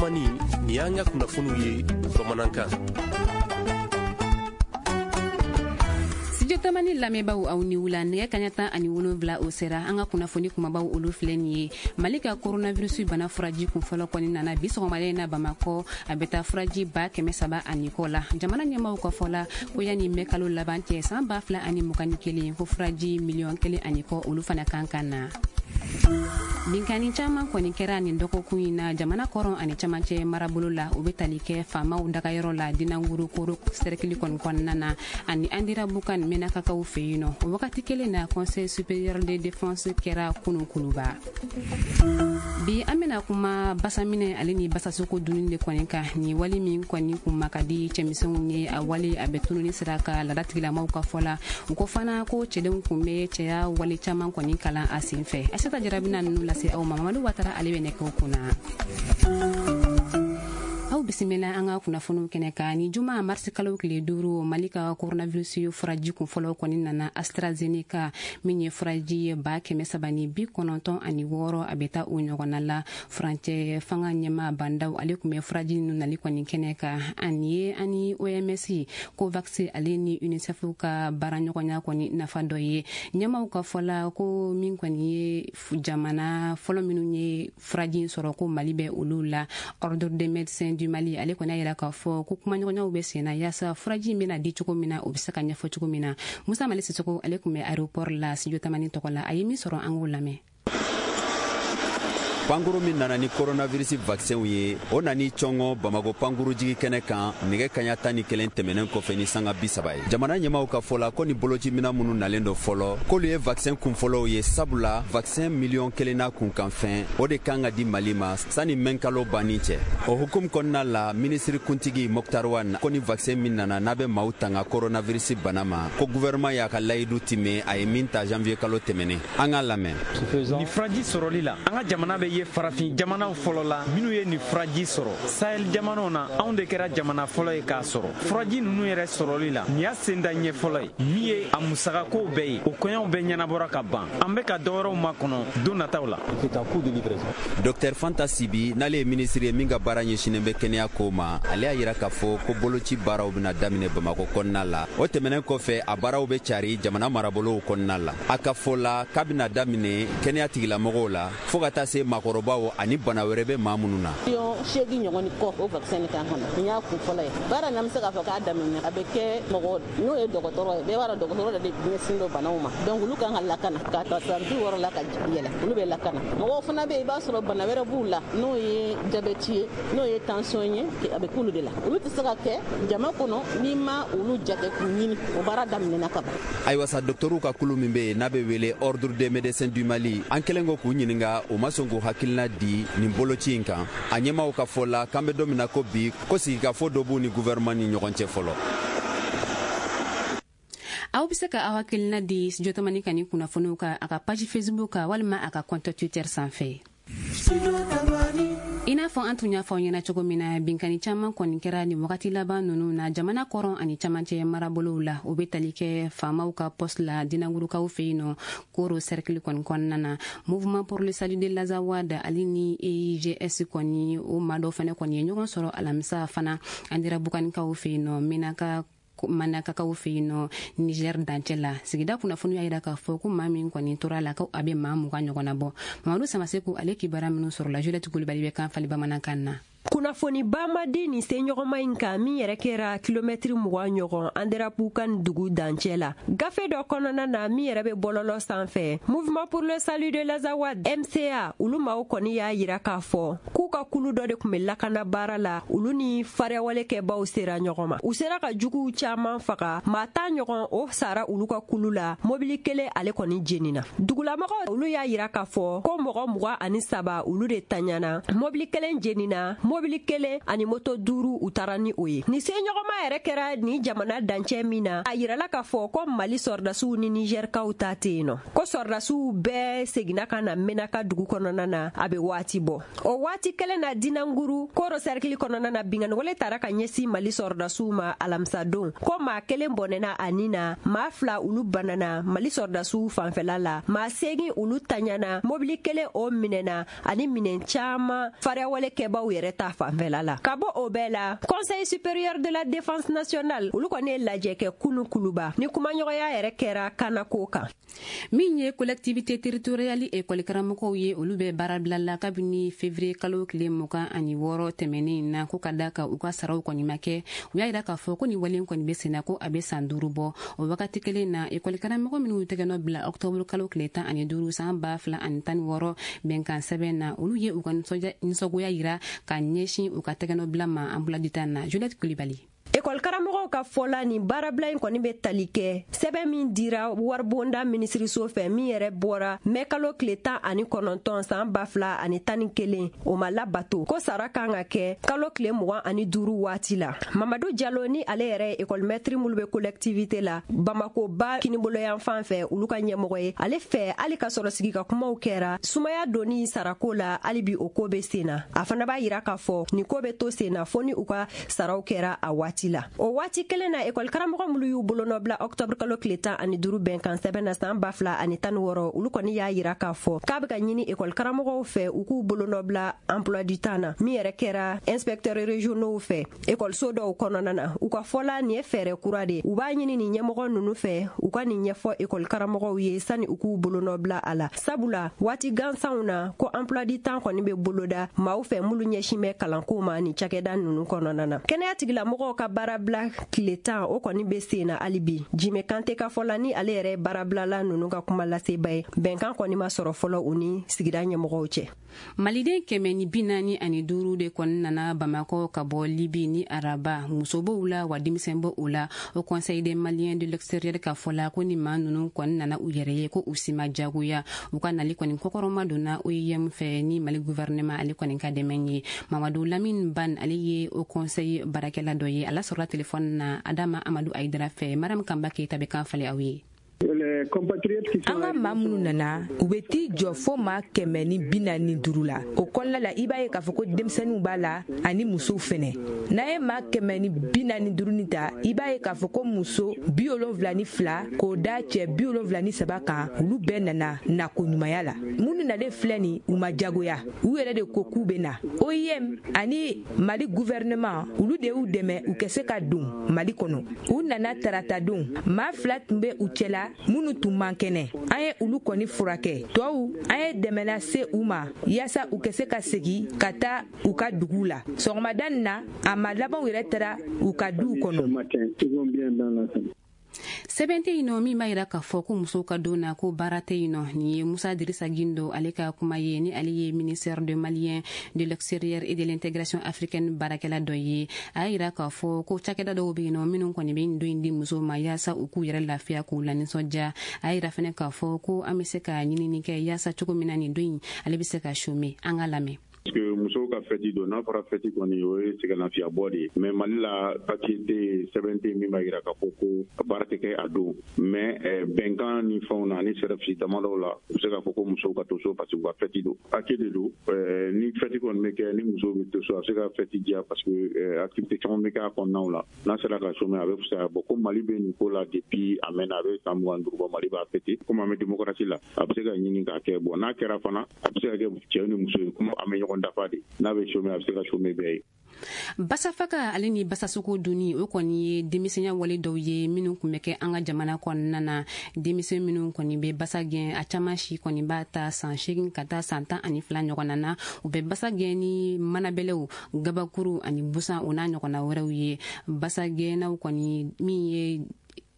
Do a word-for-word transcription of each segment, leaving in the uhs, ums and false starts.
Tamani, nin y'an ka kunnafoniw ye bamanankan. Studio Tamani lamɛnbaaw, aw ni wula. Nɛgɛ kaɲa tan ani wolonwula o sera. An ka kunnafoni kumabaw, olu filɛ nin ye. Mali ka coronavirus bana furaji kun fɔlɔ kɔni nana bi sɔgɔmada in na Bamakɔ. A bɛ taa furaji ba kɛmɛ saba ani kɔ la. Jamana ɲɛmaw ka fɔ la ko yanni mɛ kalo laban cɛ san ba fila ani mugan ni kelen, ko furaji miliyɔn kelen ani kɔ, olu fana kan ka na. Binkani caman kɔni kɛra nin dɔgɔkun in na jamana kɔrɔn ani camancɛ marabolo la. O bɛ tali kɛ faamaw dagayɔrɔ la Dinanguru, Koro sɛrɛkili kɔni kɔnɔna na, ani Andirabukan, Menakakaw fɛ yen nɔ. O wagati kelen na, Conseil supérieur de défense kɛra kunu Kuluba. Bi, an bɛna kuma basaminɛ ale ni basasoko dunni de kɔni kan. Ni wale min kɔni kun ma ka di cɛmisɛnw ye, a wale a bɛ tununi sira ka laadatigilamaw ka fɔ la. U ko fana ko cɛdenw kun bɛ cɛya wale caman kɔni kalan a sen fɛ. Asata Jara bɛna ninnu lase aw ma. Mamadu Watara, ale bɛ nɛgɛw kunna. Aw bisimila an ka kunnafoniw kɛnɛ kan. Ni juma marisi kalo tile duuru, Mali ka coronavirus furaji kun fɔlɔ kɔni nana, AstraZeneca, min ye furaji ye ba kɛmɛ saba ni bi kɔnɔntɔn ani wɔɔrɔ, a bɛ taa o ɲɔgɔnna la. Furancɛ fanga ɲɛma Bandaw, ale tun bɛ furaji ninnu nali kɔni kɛnɛ kan. Ani ye ani O M S, COVAX ale ni UNICEF ka baaraɲɔgɔnya kɔni nafa dɔ ye. Ɲɛmaw ka fɔ la ko min kɔni ye jamana fɔlɔ minnu ye furaji sɔrɔ, ko Mali bɛ olu la. Ordre des médecins du Mali, ale kɔni y'a yira k'a fɔ ko kumaɲɔgɔnyaw bɛ sen na yaasa furaji in bɛna di cogo min na, o bɛ se ka ɲɛfɔ cogo min na. Musa Mali Sisoko, ale tun bɛ aéroport la Studio Tamani tɔgɔ la. A ye min sɔrɔ, an k'o lamɛn. Pankuru min nana ni coronavirus vaccin ye, o nani cɔngɔ Bamako pankurujigi kɛnɛ kan nɛgɛ kaɲa tan ni kelen tɛmɛnen kɔfɛ ni sanga bi saba ye. Jamana ɲɛmaw ka fɔ la ko ni bolocimina minnu nalen do fɔlɔ, k'olu ye vaccin kunfɔlɔw ye, sabula vaccin miliyɔn kelen n'a kunkanfɛn, o de kan ka di Mali ma sani mɛnkalo banni cɛ. O hukumu kɔnɔna la, minisiri kuntigi Moctar Ouane ko ni vaccin min nana n'a bɛ maaw tanga coronavirus bana ma, ko gouvernement y'a ka layidu time a ye min ta janvier kalo tɛmɛnen. An k'a lamɛn. Ni furaji sɔrɔli la, an ka jamana bɛ ye farafin jamanaw fɔlɔ la minnu ye nin furaji sɔrɔ. Sahel jamanaw na, anw de kɛra jamana fɔlɔ ye k'a sɔrɔ. Furaji ninnu yɛrɛ sɔrɔli la, nin y'a senda ɲɛ fɔlɔ ye. Min ye a musakakow bɛɛ ye, o kɔɲɔw bɛɛ ɲɛnabɔra ka ban. An bɛ ka dɔwɛrɛw makɔnɔ don nataw la. Docteur Fanta Sibi, n'ale ye minisiri ye min ka baara ɲɛsinen bɛ kɛnɛya ko ma, ale y'a yira k'a fɔ ko boloci baaraw bɛna daminɛ Bamako kɔnɔna la. O tɛmɛnen kɔfɛ, a baaraw bɛ cari jamana marabolow kɔnɔna la. A ka fɔ la k'a bɛna daminɛ kɛnɛya tigilamɔgɔw la fɔɔ ka taa se maakɔrɔbaw ani bana wɛrɛ bɛ maa minnu na. Miliyɔn seegin ɲɔgɔn ni kɔ, o vaccin kan ka na. Nin y'a kun fɔlɔ ye. Baara nin, an bɛ se k'a fɔ k'a daminɛ. A bɛ kɛ mɔgɔ n'o ye dɔgɔtɔrɔ ye, bɛɛ b'a dɔn dɔgɔtɔrɔ de ɲɛsin don banaw ma. Donc olu kan ka lakana k'a ta san bi wɔɔrɔ la ka yɛlɛ, olu bɛ lakana. Mɔgɔw fana bɛ yen, i b'a sɔrɔ bana wɛrɛ b'u la, n'o ye jabɛti ye, n'o ye tension ye, a bɛ k'olu de la. Olu tɛ se ka kɛ jama kɔnɔ n'i ma olu jate k'u ɲini. O baara daminɛna ka ban. Ayiwa sa, dɔgɔtɔrɔw ka kulu min bɛ yen n'a bɛ wele Ordre des médecins du Mali, an kɛlen kɔ k'u ɲininka, u ma sɔn k'u hakilina di nin boloci in kan. A ɲɛmaw ka fɔ la k'an bɛ don min na ko bi, ko sigikafɔ dɔ b'u ni gouvernement ni ɲɔgɔn cɛ fɔlɔ. Aw bɛ se ka aw hakilina di Studio Tamani ka nin kunnafoniw kan a ka page Facebook kan walima a ka compte Twitter sanfɛ. I n'a fɔ an tun y'a fɔ aw ɲɛna cogo min na, binkani caman kɔni kɛra nin wagati laban ninnu na jamana kɔrɔn ani camancɛ marabolow la. O bɛ tali kɛ faamaw ka poste la Dinangurukaw fɛ yen nɔ, Koro cercle kɔni kɔnɔna na. Mouvement pour le salut de l'Azawad ale ni E I G S kɔni, o maa dɔw fana kɔni ye ɲɔgɔn sɔrɔ alamisa fana Andirabukanikaw fɛ yen nɔ, Menaka, Manakakaw fɛ yen nɔ, Niger dancɛ la. Sigida kunnafoni y'a yira k'a fɔ ko maa min kɔni tora la, ko a bɛ maa mugan ɲɔgɔnna bɔ. Mamadu Samaseku, ale kibaruya minnu sɔrɔla, Juliette Kulibali bɛ kan fali bamanankan na. Kunnafoni ba ma di nin seɲɔgɔnma in kan min yɛrɛ kɛra kilomɛtiri mugan ɲɔgɔn Anderapukan dugu dancɛ la. Gafe dɔ kɔnɔna na min yɛrɛ bɛ bɔlɔlɔ sanfɛ, Mouvement pour le salut de l'Azawad, M C A, olu maaw kɔni y'a yira k'a fɔ k'u ka kulu dɔ de tun bɛ lakana baara la. Olu ni fariyawale kɛbaw sera ɲɔgɔn ma, u sera ka juguw caaman faga. Maa tan ɲɔgɔn, o sara olu ka kulu la. Mobili kelen, ale kɔni jenina. Dugulamɔgɔw, olu y'a yira k'a fɔ ko mɔgɔ mugan ani saba, olu de taɲana. Mobili kelen jenina, mobili kelen ani moto duuru, u taara ni o ye. Nin seɲɔgɔnma yɛrɛ kɛra ni jamana dancɛ min na, a yirala k'a fɔ ko Mali sɔrɔdasiw ni Nizɛrikaw ta tɛ yen nɔ, ko sɔrɔdasiw bɛɛ seginna ka na Menaka dugu kɔnɔna na a bɛ waati bɔ. O waati kelen na Dinanguru Koro cercle kɔnɔna na binkanniwale tara ka ɲɛsin Mali sɔrɔdasiw ma alamisadon ko maa kelen bɔnɛna a ni na, maa fila olu banana Mali sɔrɔdasiw fanfɛla la, maa seegin olu taɲana, mobili kelen o minɛna ani minɛn caman fariyawale kɛbaw yɛrɛ ta fanfɛla la. Ka bɔ o bɛɛ la, Conseil supérieur de la défense nationale olu kɔni ye lajɛ kɛ kunu Kuluba ni kumaɲɔgɔnya yɛrɛ kɛra kanako kan. Min ye collectivité territoriale école karamɔgɔw ye, olu bɛ baarabila la kabini février kalo tile mugan ani wɔɔrɔ tɛmɛnen na, ko ka da kan u ka saraw kɔni ma kɛ. U y'a yira k'a fɔ ko nin wale kɔni bɛ senna ko a bɛ san duuru bɔ. O wagati kelen na, école karamɔgɔ minnu tɛgɛnɔ bila octobre kalo tile tan ani duuru san ba fila ani tan ni wɔɔrɔ bɛnkan sɛbɛn na, olu ye u ka nisɔngoya yira ka ɲɛsin u ka tɛgɛnɔ bila ma emploi du temps na. Juliette Kulibali. Ekɔli karamɔgɔw ka fɔla nin baarabila in kɔni bɛ tali kɛ sɛbɛn min dira waribonda minisiriso fɛ min yɛrɛ bɔra mɛ kalo tile tan ani kɔnɔntɔn san ba fila ani tan ni kelen, o ma labato ko sara kan ka kɛ kalo tile mugan ani duuru waati la. Mamadu Jalo ni ale yɛrɛ ye ekɔlimɛtiri minnu bɛ collectivité la Bamako ba kinibolo fan fɛ olu ka ɲɛmɔgɔ ye, ale fɛ hali ka sɔrɔ sigi ka kumaw kɛra sumaya donni sarako la, hali bi o ko bɛ sen na. A fana b'a yira k'a fɔ nin ko bɛ to sen na fo ni u ka saraw kɛra a waati la. O waati kelen na, ekɔli karamɔgɔ minnu y'u bolonɔ bila octobre kalo tile tan ani duuru bɛnkan sɛbɛn na san ba fila ani tan ni wɔɔrɔ, olu kɔni y'a yira k'a fɔ k'a bɛ ka ɲini ekɔli karamɔgɔw fɛ u k'u bolonɔ bila emploi du temps na min yɛrɛ kɛra inspecteurs régionaux fɛ ekɔliso dɔw kɔnɔna na. U ka fɔla nin ye fɛɛrɛ kura de, u b'a ɲini nin ɲɛmɔgɔ ninnu fɛ u ka nin ɲɛfɔ ekɔli karamɔgɔw ye sani u k'u bolonɔ bila a la, sabula waati gansanw na ko emploi du temps kɔni bɛ boloda maaw fɛ minnu ɲɛsin bɛ kalanko ma nin cakɛda ninnu kɔnɔna na. Kɛnɛya tigilamɔgɔw ka baarabila tile tan o kɔni bɛ sen na hali bi. Jime Kante ka fɔ la ni ale yɛrɛ ye baarabilala ninnu ka kuma laseba ye, bɛnkan kɔni ma sɔrɔ fɔlɔ u ni sigida ɲɛmɔgɔw cɛ. Maliden kɛmɛ ni bi naani ani duuru de kɔni nana Bamakɔ ka bɔ Libi ni araba, muso b'o la wa denmisɛn b'o la. O Conseil des Maliens de l'extérieur ka fɔ la ko ni maa ninnu kɔni nana u yɛrɛ ye ko u si ma jagoya. U ka nali kɔni kɔkɔrɔma donna O I M fɛ ni Mali gouvernement ale kɔni ka dɛmɛ ye. Mamadu Lamine Ban ale ye o conseil baarakɛla dɔ ye, ala sɔrɔla telefɔni na Adama Amadu Ayidara fɛ. Mariam Kanba Keyita bɛ kan falen aw ye. An ka maa minnu nana, u bɛ t'i jɔ fo maa kɛmɛ ni bi naani ni duuru la. O kɔnɔna la, i b'a ye k'a fɔ ko denmisɛnninw b'a la ani musow fɛnɛ. N'an ye maa kɛmɛ ni bi naani ni duuru ni ta, i b'a ye k'a fɔ ko muso bi wolonwula ni fila k'o da cɛ bi wolonwula ni saba kan, olu bɛɛ nana nako ɲumanya la. Minnu nalen filɛ nin, u ma jagoya, u yɛrɛ de ko k'u bɛ na. O I M ani Mali gouvernement, olu de y'u dɛmɛ u ka se ka don Mali kɔnɔ. U nana tarata don, maa fila tun bɛ u cɛla minnu tun man kɛnɛ, an ye olu kɔni furakɛ. Tɔw, an ye dɛmɛ lase u ma yaasa u ka se ka segin ka taa u ka dugu la. Sɔgɔmada nin na, a ma labanw yɛrɛ taara u ka duw kɔnɔ. Sɛbɛn tɛ yen nɔ min b'a yira k'a fɔ ko musow ka don na ko baara tɛ yen nɔ. Nin ye Musa Dirisa Gindo ale ka kuma ye, ni ale ye ministère de Malien de l'extérieur et de l'intégration africaine baarakɛla dɔ ye. A y'a yira k'a fɔ ko cakɛda dɔw bɛ yen nɔ minnu kɔni bɛ nin don in di musow ma yaasa u k'u yɛrɛ lafiya k'u lanisɔndiya. A y'a yira fɛnɛ k'a fɔ ko an bɛ se ka ɲinini kɛ yaasa cogo min na nin don in ale bɛ se ka chômer. An ka lamɛn. Parce que musow ka fɛti don, n'a fɔra fɛti kɔni o ye sɛgɛnlafiyabɔ de ye, mais Mali la papier tɛ yen, sɛbɛn tɛ yen min b'a jira k'a fɔ ko baara tɛ kɛ a don, mais bɛnkan ni fɛnw na ani sɛrɛfisi damadɔw la, u bɛ se k'a fɔ ko musow ka to so parce que u ka fɛti don, hakɛ de don. Ni fɛti kɔni bɛ kɛ ni musow bɛ to so, a bɛ se ka fɛti diya parce que activité caman bɛ kɛ a kɔnɔnaw la. N'a sera ka chômer a bɛ fisaya. Bon, ko Mali bɛ nin ko la depuis a mɛnna, a bɛ san mugan ni duuru bɔ Mali b'a fêter. Komi an bɛ démocratie la, a bɛ se ka ɲini k'a kɛ. Bon, n'a kɛra fana, a bɛ se ka kɛ cɛ ni muso ye, komi an bɛ ɲɔgɔn dafa de, n'a bɛ chômer a bɛ se ka chômer bɛɛ ye. Basafaga ale ni basasogo dunni, o kɔni ye denmisɛnya wale dɔw ye minnu tun bɛ kɛ an ka jamana kɔnɔna na. Denmisɛn minnu kɔni bɛ basa gɛn, a caman si kɔni b'a ta san seegin ka taa san tan ani fila ɲɔgɔnna na. U bɛ basa gɛn ni manabɛlɛw, gabakuru ani busan, o n'a ɲɔgɔnna wɛrɛw ye. Basa gɛnnaw kɔni min ye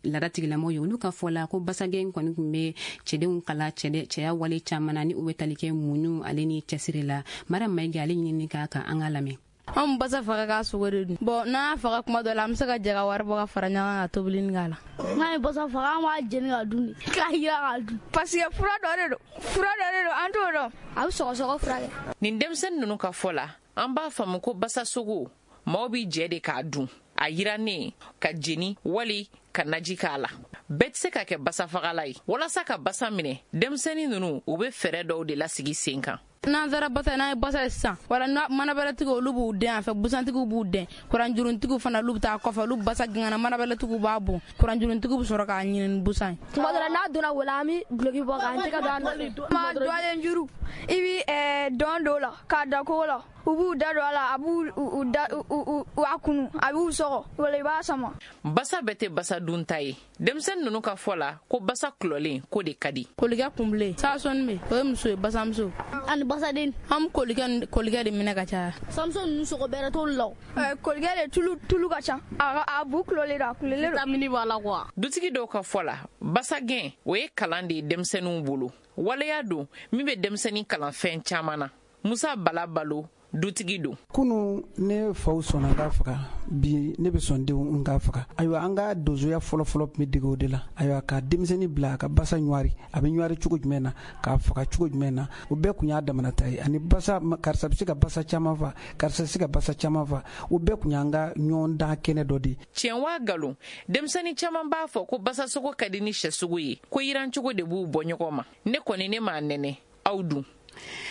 laada tigilamɔgɔw ye, olu ka fɔ la ko basagɛn kɔni tun bɛ cɛdenw kala cɛya wale caman na ni u bɛ tali kɛ muɲu ale ni cɛsiri la. Mariam Mayiga ale ɲinini k'a kan, an ka lamɛn. Anw basa faga k'a sogo de dun. Bon, n'an y'a faga kuma dɔ la, an bɛ se ka jɛ ka wari bɔ ka fara ɲɔgɔn kan ka tobili k'a la. N'an ye basa faga, an b'a jeni ka dun de, k'a jira k'a dun. Parce que fura dɔ de don, fura dɔ de don, an t'o dɔn. A bɛ sɔgɔsɔgɔ furakɛ. Nin denmisɛnnin ninnu ka fɔ la, an b'a faamu ko basa sogo, maaw b'i jɛ de k'a dun, a yirannen ka jeni wali ka naji k'a la. Bɛɛ tɛ se ka kɛ basafagala ye. Walasa ka basa minɛ, denmisɛnnin ninnu u bɛ fɛɛrɛ dɔw de lasigi sen kan. N'an sera basa n'an ye basa ye sisan wala manabɛlɛtigiw olu b'u den a fɛ, busantigiw b'u den, kuranjuruntigiw fana olu bɛ taa kɔfɛ, olu basa gɛngɛnna manabɛlɛtigiw b'a bon, kuranjuruntigiw bɛ sɔrɔ k'a ɲini ni busan ye. Tuma dɔ la n'a donna wo la an bɛ duloki bɔ k'an tɛgɛ don a nɔfɛ. Ma dɔlen juru i bɛ dɔn don o la k'a da kogo la, u b'u da don a la, a b'u u da u a kunu, a b'u sɔgɔ wala i b'a sama. Basa bɛɛ tɛ basa dunta ye. Denmisɛnnin ninnu ka fɔ la ko basa kulɔlen ko de ka di. Kolikɛ kunbilen saasɔnni bɛ o ye muso ye, basamuso ani basaden. An bɛ kolikɛ kolikɛ de minɛ ka caya. Samuso ninnu sogo bɛrɛ t'olu la. Kolikɛ de tulu tulu ka ca, a a bu kulɔlen don, a kulɔlen don. Vitamini b'a la quoi. Dutigi dɔw ka fɔ la basagɛn o ye kalan de ye denmisɛnninw bolo. Waleya don min bɛ denmisɛnnin kalan fɛn caman na. Musa Bala Balo dutigi don. Kunu ne faw sɔnna n ka faga, bi ne bɛ sɔn denw n ka faga. Ayiwa an ka donsoya fɔlɔfɔlɔ tun bɛ dege o de la. Ayiwa ka denmisɛnnin bila a ka basa ɲwari, a bɛ ɲwari cogo jumɛn na, k'a faga cogo jumɛn na, o bɛɛ kun y'a damana ta ye. Ani basa, karisa bɛ se ka basa caman fa, karisa bɛ se ka basa caman fa, o bɛɛ kun y'an ka ɲɔgɔn dan kɛnɛ dɔ de ye. Tiɲɛ waa nkalon, denmisɛnnin caman b'a fɔ ko basasogo ka di ni sɛsogo ye, ko yirancogo de b'u bɔ ɲɔgɔn ma. Ne kɔni ne m'a nɛnɛ, aw dun.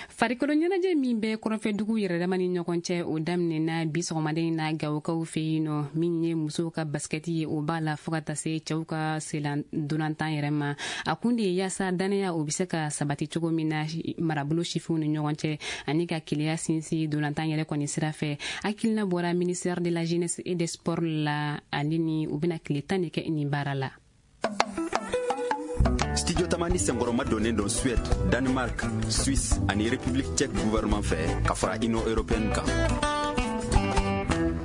Farikolo ɲɛnajɛ min bɛ kɔrɔnfɛdugu yɛrɛdama ni ɲɔgɔn cɛ, o daminɛna bi sɔgɔmaden na Gawokaw fɛ yen nɔ. Min ye musow ka basikɛti ye, o b'a la fo ka taa se cɛw ka selan dolantan yɛrɛ ma. A kun de ye yaasa dannaya o bɛ se ka sabati cogo min na marabolo sifinw ni ɲɔgɔn cɛ, ani ka keleya sinsin dolantan yɛrɛ kɔni sira fɛ. Hakilina bɔra ministère de la jeunesse et des sports la, ale ni u bɛna tile tan de kɛ nin baara la. Studio Tamani senkɔrɔma donnen don Suède, Danemark, Suisse ani République tchèque gouvernement fɛ ka fara Union européenne kan.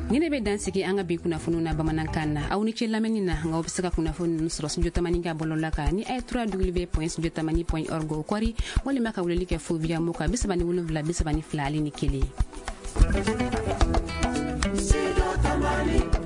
Ni ne bɛ dan sigi an ka bi kunnafoniw na bamanankan na. Aw ni ce lamɛnni na, nka aw bɛ se ka kunnafoni ninnu sɔrɔ Studio Tamani ka bɔlɔlɔ kan ni a ye w w w point studio tamani point org o kɔri, walima ka weleli kɛ fo via mo kan bi saba ni wolonwula bi saba ni fila ale ni kelen. Studio Tamani.